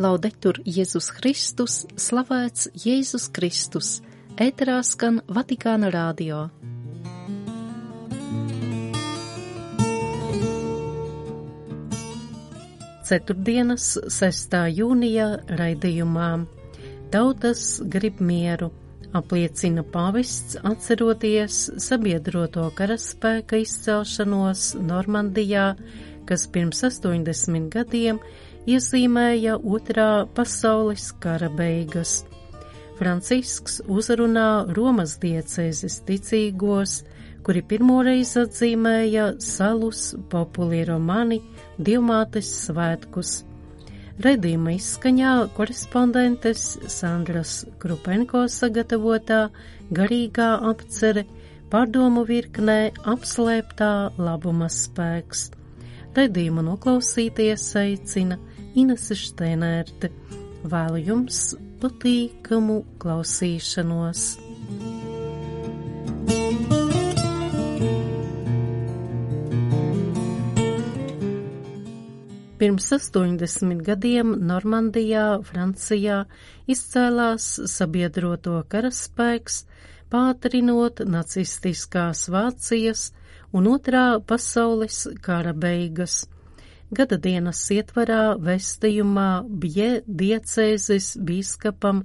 Laudetur Jēzus Kristus, slavēts Jēzus Kristus, ēterā skan Vatikāna radio. Ceturtdienas 6. jūnija raidījumā Tautas grib mieru, apliecina pāvests atceroties sabiedroto karaspēka izcelšanos Normandijā, kas pirms 80 gadiem iezīmēja Otrā pasaules kara beigas. Francisks uzrunā Romas diecēzes ticīgos, kuri pirmoreiz atzīmēja Salus Populi Romani Dievmātes svētkus. Raidījuma izskaņā korespondentes Sandras Krupenko sagatavotā garīgā apcere pārdomu virknē apslēptā labuma spēks. Raidījumu noklausīties aicina Inese Šteinerte. Vēlu jums patīkamu klausīšanos. Pirms 80 gadiem Normandijā, Francijā, izcēlās sabiedroto karaspēks, pātrinot nacistiskās Vācijas un Otrā pasaules kara beigas. Gada dienas ietvarā vēstījumā Bje diecēzes bīskapam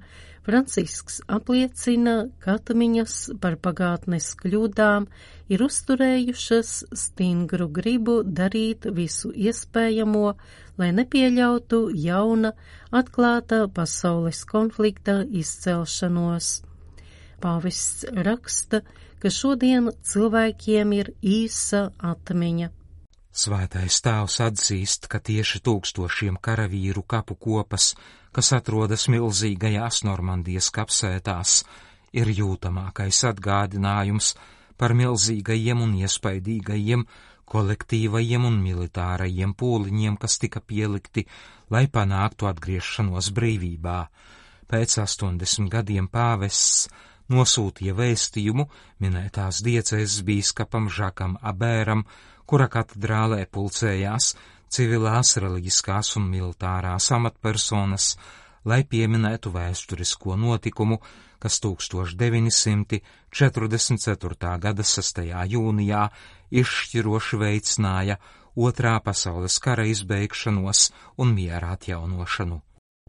Francisks apliecina, ka atmiņas par pagātnes kļūdām ir uzturējušas stingru gribu darīt visu iespējamo, lai nepieļautu jauna, atklāta pasaules konflikta izcelšanos. Pāvests raksta, ka šodien cilvēkiem ir īsa atmiņa. Svētais tēvs atzīst, ka tieši tūkstošiem karavīru kapu kopas, kas atrodas milzīgajās Normandijas kapsētās, ir jūtamākais atgādinājums par milzīgajiem un iespaidīgajiem kolektīvajiem un militārajiem pūliņiem, kas tika pielikti, lai panāktu atgriešanos brīvībā. Pēc 80 gadiem pāvests nosūtīja vēstījumu minētās diecēzes bīskapam Žakam Abēram, kura katedrālē pulcējās civilās, reliģiskās un militārās amatpersonas, lai pieminētu vēsturisko notikumu, kas 1944. Gada 6. jūnijā izšķiroši veicināja Otrā pasaules kara izbeigšanos un miera atjaunošanu.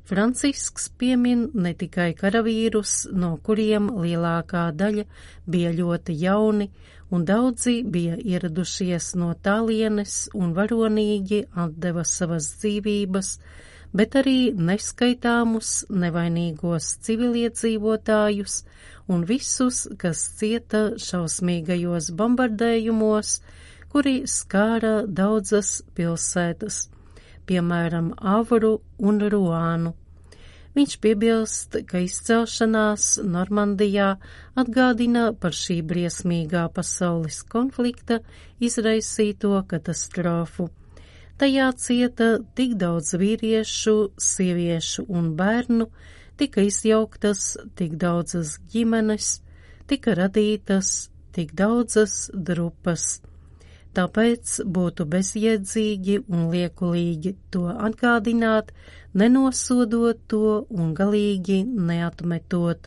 Francisks piemin ne tikai karavīrus, no kuriem lielākā daļa bija ļoti jauni, un daudzi bija ieradušies no tālienes un varonīgi atdeva savas dzīvības, bet arī neskaitāmus nevainīgos civiliedzīvotājus un visus, kas cieta šausmīgajos bombardējumos, kuri skāra daudzas pilsētas, piemēram, Avru un Ruānu. Viņš piebilst, ka izcelšanās Normandijā atgādina par šī briesmīgā pasaules konflikta izraisīto katastrofu. Tajā cieta tik daudz vīriešu, sieviešu un bērnu, tika izjauktas tik daudzas ģimenes, tika radītas tik daudzas drupas. Tāpēc būtu bezjēdzīgi un liekulīgi to atgādināt, nenosodot to un galīgi neatmetot.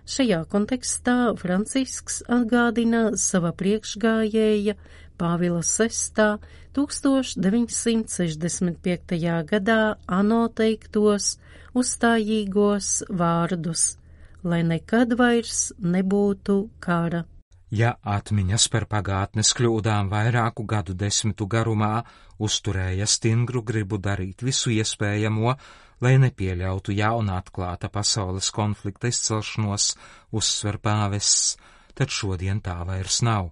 Šajā kontekstā Francisks atgādina sava priekšgājēja Pāvila VI 1965. gadā ANO teiktos uzstājīgos vārdus, lai nekad vairs nebūtu kara. Ja atmiņas par pagātnes kļūdām vairāku gadu desmitu garumā uzturēja stingru gribu darīt visu iespējamo, lai nepieļautu jauna atklāta pasaules konflikta izcelšanos, uzsver pāvests, tad šodien tā vairs nav.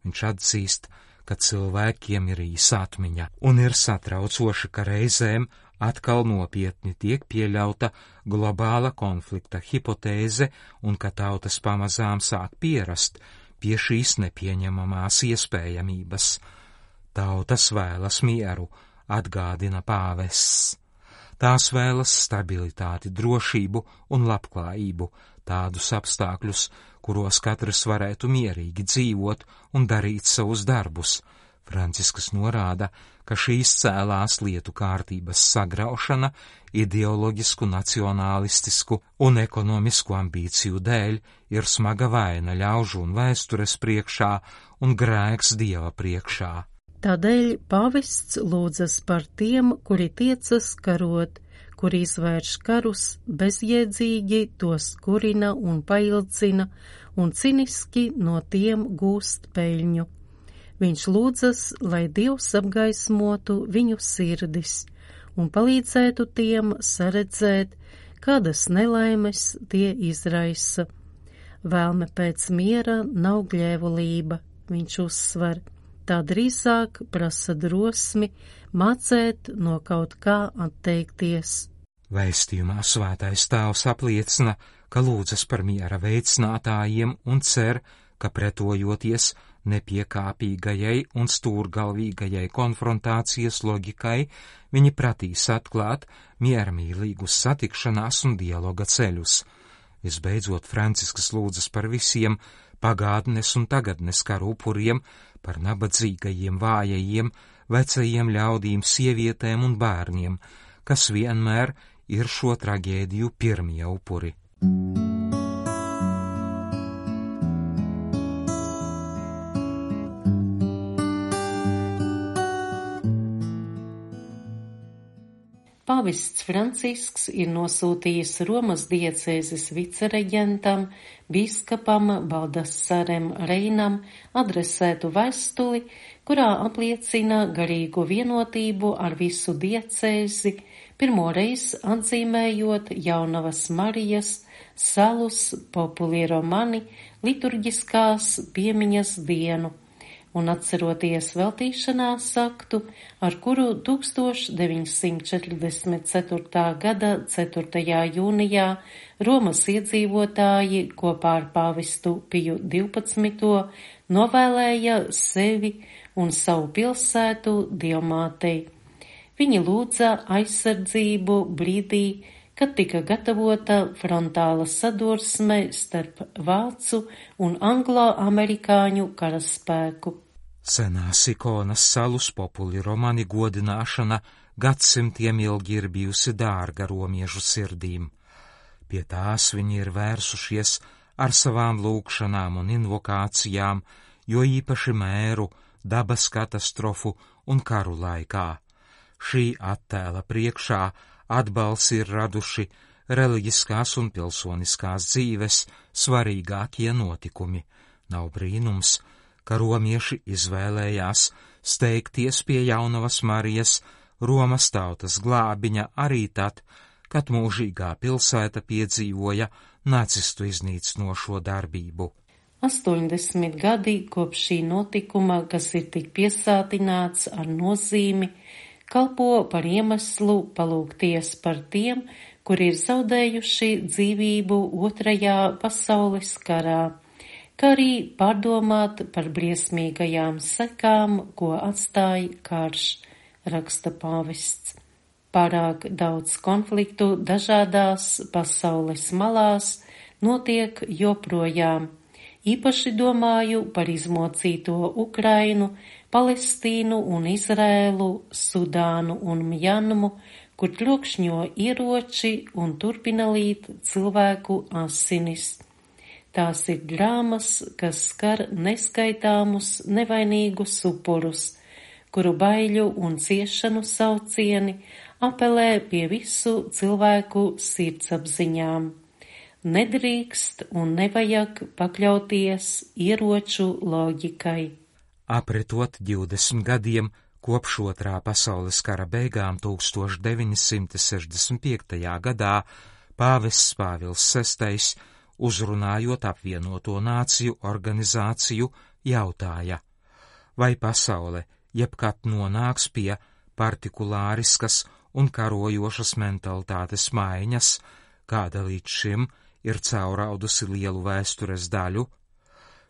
Viņš atzīst, ka cilvēkiem ir īsa atmiņa, un ir satraucoši, ka reizēm atkal nopietni tiek pieļauta globāla konflikta hipotēze un ka tautas pamazām sāk pierast pie šīs nepieņemamās iespējamības. Tautas vēlas mieru, atgādina pāvests. Tās vēlas stabilitāti, drošību un labklājību, tādus apstākļus, kuros katrs varētu mierīgi dzīvot un darīt savus darbus. Francisks norāda, ka šīs cēlās lietu kārtības sagraušana ideoloģisku, nacionālistisku un ekonomisku ambīciju dēļ ir smaga vaina ļaužu un vēstures priekšā un grēks Dieva priekšā. Tādēļ pāvests lūdzas par tiem, kuri tiecas karot, kuri izvērš karus, bezjēdzīgi tos kurina un paildzina un ciniski no tiem gūst peļņu. Viņš lūdzas, lai Dievs apgaismotu viņu sirdis un palīdzētu tiem saredzēt, kādas nelaimes tie izraisa. Vēlme pēc miera nav gļēvulība, viņš uzsver, tā drīzāk prasa drosmi mācēt no kaut kā atteikties. Vēstījumā Svētais Tēvs apliecina, ka lūdzas par miera veicinātājiem un cer, ka pretojoties nepiekāpīgajai un stūrgalvīgajai konfrontācijas loģikai, viņi pratīs atklāt miermīlīgus satikšanās un dialoga ceļus. Visbeidzot, Francisks lūdzas par visiem pagātnes un tagadnes karu upuriem, par nabadzīgajiem, vājajiem, vecajiem ļaudīm, sievietēm un bērniem, kas vienmēr ir šo traģēdiju pirmie upuri. Pāvests Francisks ir nosūtījis Romas diecēzes vicereģentam, bīskapam Baldasarem Reinam adresētu vēstuli, kurā apliecina garīgu vienotību ar visu diecēzi, pirmoreiz atzīmējot Jaunavas Marijas Salus Populi Romani liturģiskās piemiņas dienu un atceroties veltīšanās aktu, ar kuru 1944. gada 4. jūnijā Romas iedzīvotāji kopā ar pāvestu Piju 12. novēlēja sevi un savu pilsētu Dievmātei. Viņi lūdza aizsardzību brīdī, kad tika gatavota frontāla sadursme starp vācu un anglo-amerikāņu karaspēku. Senās ikonas Salus Populi Romani godināšana gadsimtiem ilgi ir bijusi dārga romiešu sirdīm. Pie tās viņi ir vērsušies ar savām lūgšanām un invokācijām, jo īpaši mēru, dabas katastrofu un karu laikā. Šī attēla priekšā atbalsi ir raduši reliģiskās un pilsoniskās dzīves svarīgākie notikumi. Nav brīnums, ka romieši izvēlējās steigties pie Jaunavas Marijas, Romas tautas glābiņa arī tad, kad mūžīgā pilsēta piedzīvoja nacistu iznīcinošo darbību. 80 gadi kopš šī notikuma, kas ir tik piesātināts ar nozīmi, kalpo par iemeslu palūgties par tiem, kuri ir zaudējuši dzīvību Otrajā pasaules karā, kā arī pārdomāt par briesmīgajām sekām, ko atstāja karš, raksta pāvests. Pārāk daudz konfliktu dažādās pasaules malās notiek joprojām. Īpaši domāju par izmocīto Ukrainu, Palestīnu un Izrēlu, Sudānu un Mjanmu, kur trokšņo ieroči un turpina līt cilvēku asinis. Tās ir drāmas, kas skar neskaitāmus nevainīgus upurus, kuru baiļu un ciešanu saucieni apelē pie visu cilvēku sirdsapziņām. Nedrīkst un nevajag pakļauties ieroču loģikai. Apretot 20 gadiem kopš Otrā pasaules kara beigām 1965. gadā pāvests Pāvils VI, uzrunājot apvienoto nāciju organizāciju, jautāja, vai pasaule jebkad nonāks pie partikulāriskas un karojošas mentalitātes maiņas, kāda līdz šim ir cauraudusi lielu vēstures daļu?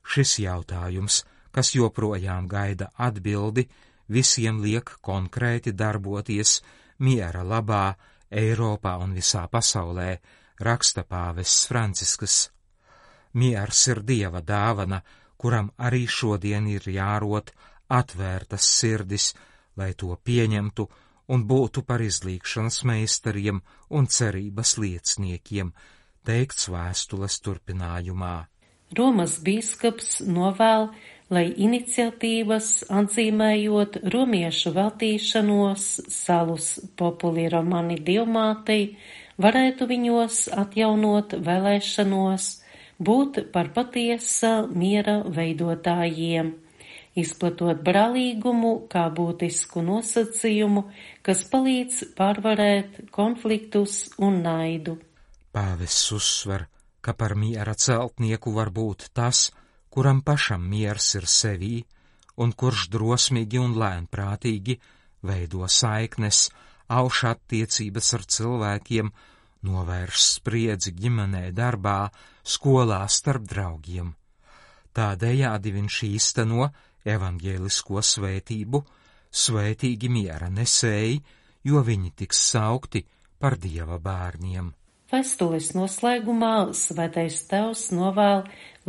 Šis jautājums, kas joprojām gaida atbildi, visiem liek konkrēti darboties miera labā Eiropā un visā pasaulē, raksta pāvests Francisks. Miers ir Dieva dāvana, kuram arī šodien ir jārot atvērtas sirdis, lai to pieņemtu un būtu par izlīgšanas meistariem un cerības lieciniekiem, teikts vēstules turpinājumā. Romas bīskaps novēl, lai iniciatīvas atzīmējot romiešu veltīšanos Salus Populi Romani Dievmātei varētu viņos atjaunot vēlēšanos būt par patiesa miera veidotājiem, izplatot brālīgumu kā būtisku nosacījumu, kas palīdz pārvarēt konfliktus un naidu. Pāvests uzsver, ka par miera celtnieku var būt tas, kuram pašam miers ir sevī, un kurš drosmīgi un lēnprātīgi veido saiknes, auš attiecības ar cilvēkiem, novērš spriedzi ģimenē, darbā, skolā starp draugiem. Tādējādi viņš īsteno evaņģēlisko svētību, svētīgi miera nesēji, jo viņi tiks saukti par Dieva bērniem. Vēstules noslēgumā Svētais Tēvs novēl,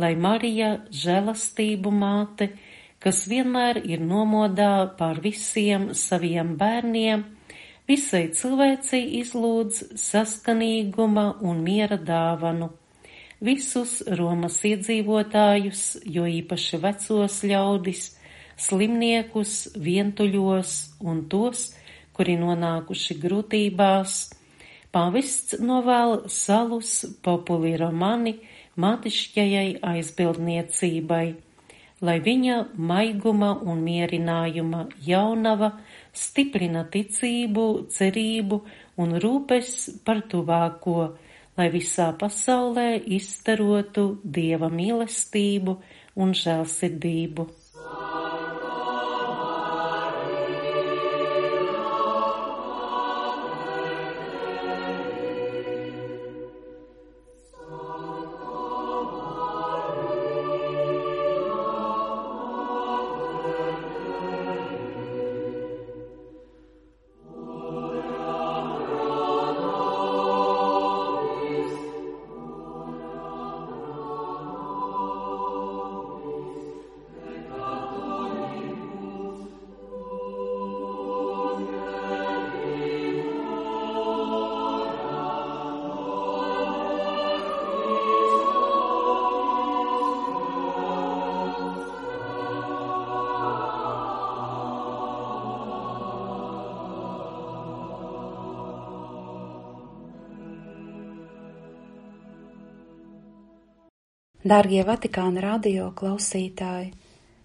lai Marija, žēlastību māte, kas vienmēr ir nomodā pār visiem saviem bērniem, visai cilvēcei izlūdz saskanīguma un miera dāvanu. Visus Romas iedzīvotājus, jo īpaši vecos ļaudis, slimniekus, vientuļos un tos, kuri nonākuši grūtībās, pāvests novēl Salus Populi Romani mātišķajai aizbildniecībai, lai viņa maiguma un mierinājuma jaunava stiprina ticību, cerību un rūpes par tuvāko, lai visā pasaulē izstarotu Dieva mīlestību un žēlsirdību. Dārgie Vatikāna radio klausītāji,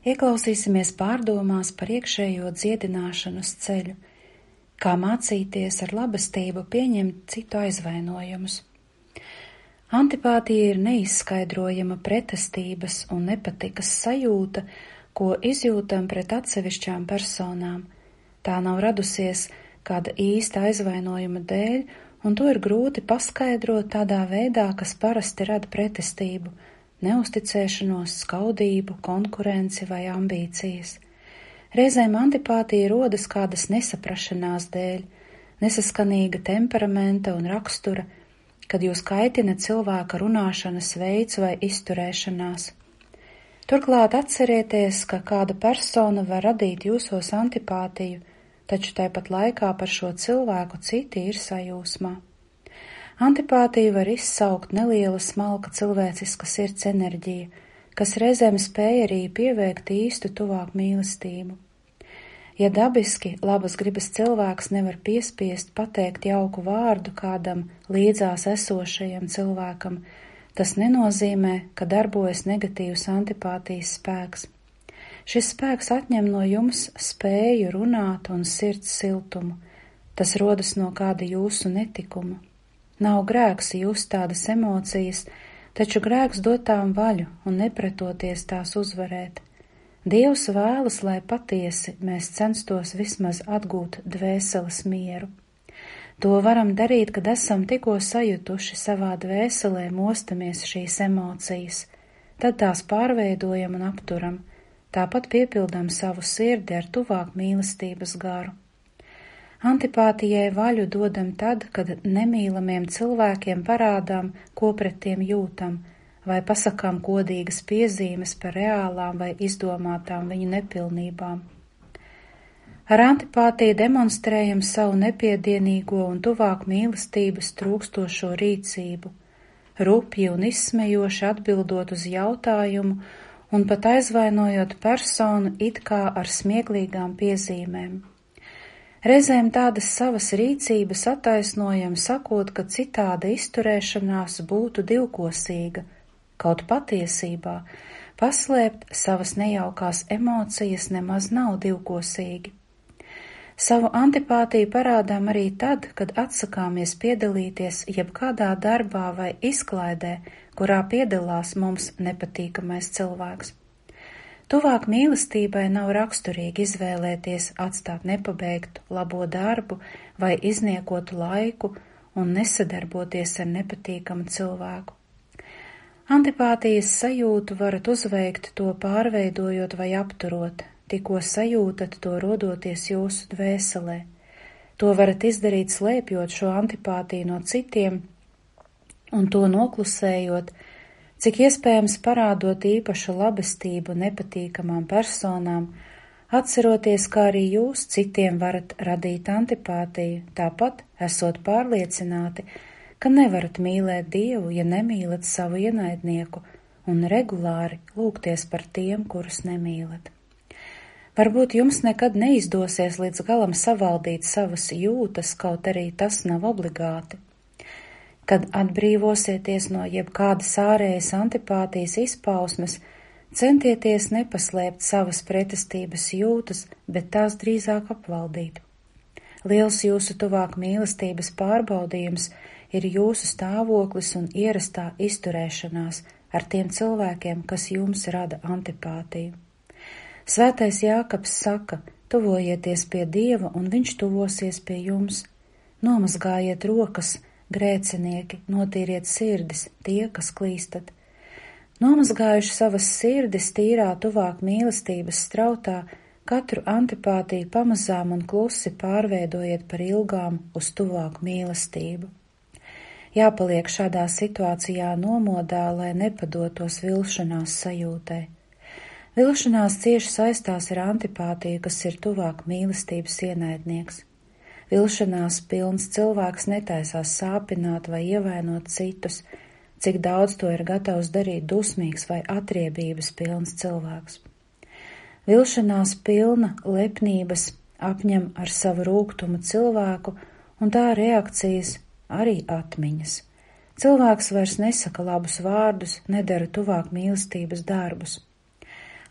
ieklausīsimies pārdomās par iekšējo dziedināšanas ceļu, kā mācīties ar labestību pieņemt citu aizvainojumus. Antipātija ir neizskaidrojama pretestības un nepatikas sajūta, ko izjūtam pret atsevišķām personām. Tā nav radusies kāda īsta aizvainojuma dēļ, un to ir grūti paskaidrot tādā veidā, kas parasti rada pretestību, neusticēšanos, skaudību, konkurenci vai ambīcijas. Reizēm antipātija rodas kādas nesaprašanās dēļ, nesaskanīga temperamenta un rakstura, kad jūs kaitina cilvēka runāšanas veids vai izturēšanās. Turklāt atcerieties, ka kāda persona var radīt jūsos antipātiju, taču tāpat laikā par šo cilvēku citi ir sajūsmā. Antipātiju var izsaukt neliela smalka cilvēciska sirds enerģija, kas reizēm spēj arī pieveikt īstu tuvāku mīlestību. Ja dabiski labas gribas cilvēks nevar piespiest pateikt jauku vārdu kādam līdzās esošajam cilvēkam, tas nenozīmē, ka darbojas negatīvs antipātijas spēks. Šis spēks atņem no jums spēju runāt un sirds siltumu. Tas rodas no kāda jūsu netikuma. Nav grēks just tādas emocijas, taču grēks dot tām vaļu un nepretoties tās uzvarēt. Dievs vēlas, lai patiesi mēs censtos vismaz atgūt dvēseles mieru. To varam darīt, kad esam tikko sajutuši savā dvēselē mostamies šīs emocijas, tad tās pārveidojam un apturam, tāpat piepildām savu sirdi ar tuvāk mīlestības garu. Antipātijai vaļu dodam tad, kad nemīlamiem cilvēkiem parādām, ko pret tiem jūtam, vai pasakām godīgas piezīmes par reālām vai izdomātām viņu nepilnībām. Ar antipātiju demonstrējam savu nepiedienīgo un tuvāk mīlestības trūkstošo rīcību, rupji un izsmejoši atbildot uz jautājumu un pat aizvainojot personu it kā ar smieklīgām piezīmēm. Reizēm tādas savas rīcības attaisnojam, sakot, ka citāda izturēšanās būtu divkosīga, kaut patiesībā paslēpt savas nejaukās emocijas nemaz nav divkosīgi. Savu antipātiju parādām arī tad, kad atsakāmies piedalīties jebkādā darbā vai izklaidē, kurā piedalās mums nepatīkamais cilvēks. Tuvāk mīlestībai nav raksturīgi izvēlēties atstāt nepabeigtu labo darbu vai izniekotu laiku un nesadarboties ar nepatīkamu cilvēku. Antipātijas sajūtu varat uzveikt to pārveidojot vai apturot, tikko sajūtat to rodoties jūsu dvēselē. To varat izdarīt slēpjot šo antipātiju no citiem un to noklusējot, cik iespējams parādot īpašu labestību nepatīkamām personām, atceroties, kā arī jūs citiem varat radīt antipātiju, tāpat esot pārliecināti, ka nevarat mīlēt Dievu, ja nemīlat savu ienaidnieku, un regulāri lūgties par tiem, kurus nemīlat. Varbūt jums nekad neizdosies līdz galam savaldīt savas jūtas, kaut arī tas nav obligāti. Kad atbrīvosieties no jebkādas ārējas antipātijas izpausmes, centieties nepaslēpt savas pretestības jūtas, bet tās drīzāk apvaldīt. Liels jūsu tuvāk mīlestības pārbaudījums ir jūsu stāvoklis un ierastā izturēšanās ar tiem cilvēkiem, kas jums rada antipātiju. Svētais Jākabs saka, tuvojieties pie Dieva, un viņš tuvosies pie jums. Nomazgājiet rokas, grēcinieki, notīriet sirdis, tie, kas klīstat. Nomazgājuši savas sirdis tīrā tuvāk mīlestības strautā, katru antipātiju pamazām un klusi pārveidojiet par ilgām uz tuvāku mīlestību. Jāpaliek šādā situācijā nomodā, lai nepadotos vilšanās sajūtai. Vilšanās cieši saistās ar antipātiju, kas ir tuvāk mīlestības ienaidnieks. Vilšanās pilns cilvēks netaisās sāpināt vai ievainot citus, cik daudz to ir gatavs darīt dusmīgs vai atriebības pilns cilvēks. Vilšanās pilna lepnības apņem ar savu rūgtumu cilvēku, un tā reakcijas arī atmiņas. Cilvēks vairs nesaka labus vārdus, nedara tuvāk mīlestības darbus.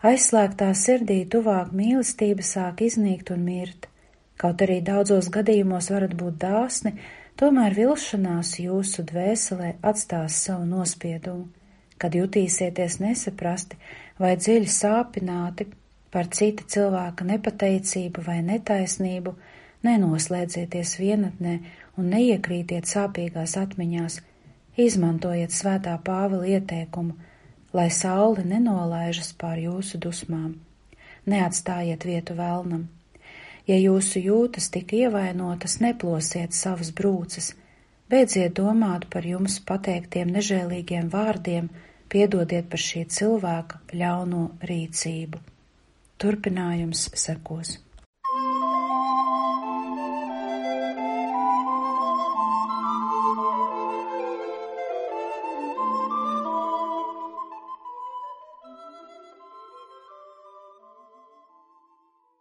Aizslēgtā sirdī tuvāk mīlestība sāk iznīkt un mirt. Kaut arī daudzos gadījumos varat būt dāsni, tomēr vilšanās jūsu dvēselē atstās savu nospiedumu. Kad jutīsieties nesaprasti vai dziļi sāpināti par cita cilvēka nepateicību vai netaisnību, nenoslēdzieties vienatnē un neiekrītiet sāpīgās atmiņās. Izmantojiet svētā Pāvila ieteikumu, lai saule nenolaižas pār jūsu dusmām. Neatstājiet vietu velnam. Ja jūsu jūtas tik ievainotas, neplosiet savas brūces, beidziet domāt par jums pateiktiem nežēlīgiem vārdiem, piedodiet par šī cilvēka ļauno rīcību. Turpinājums sekos.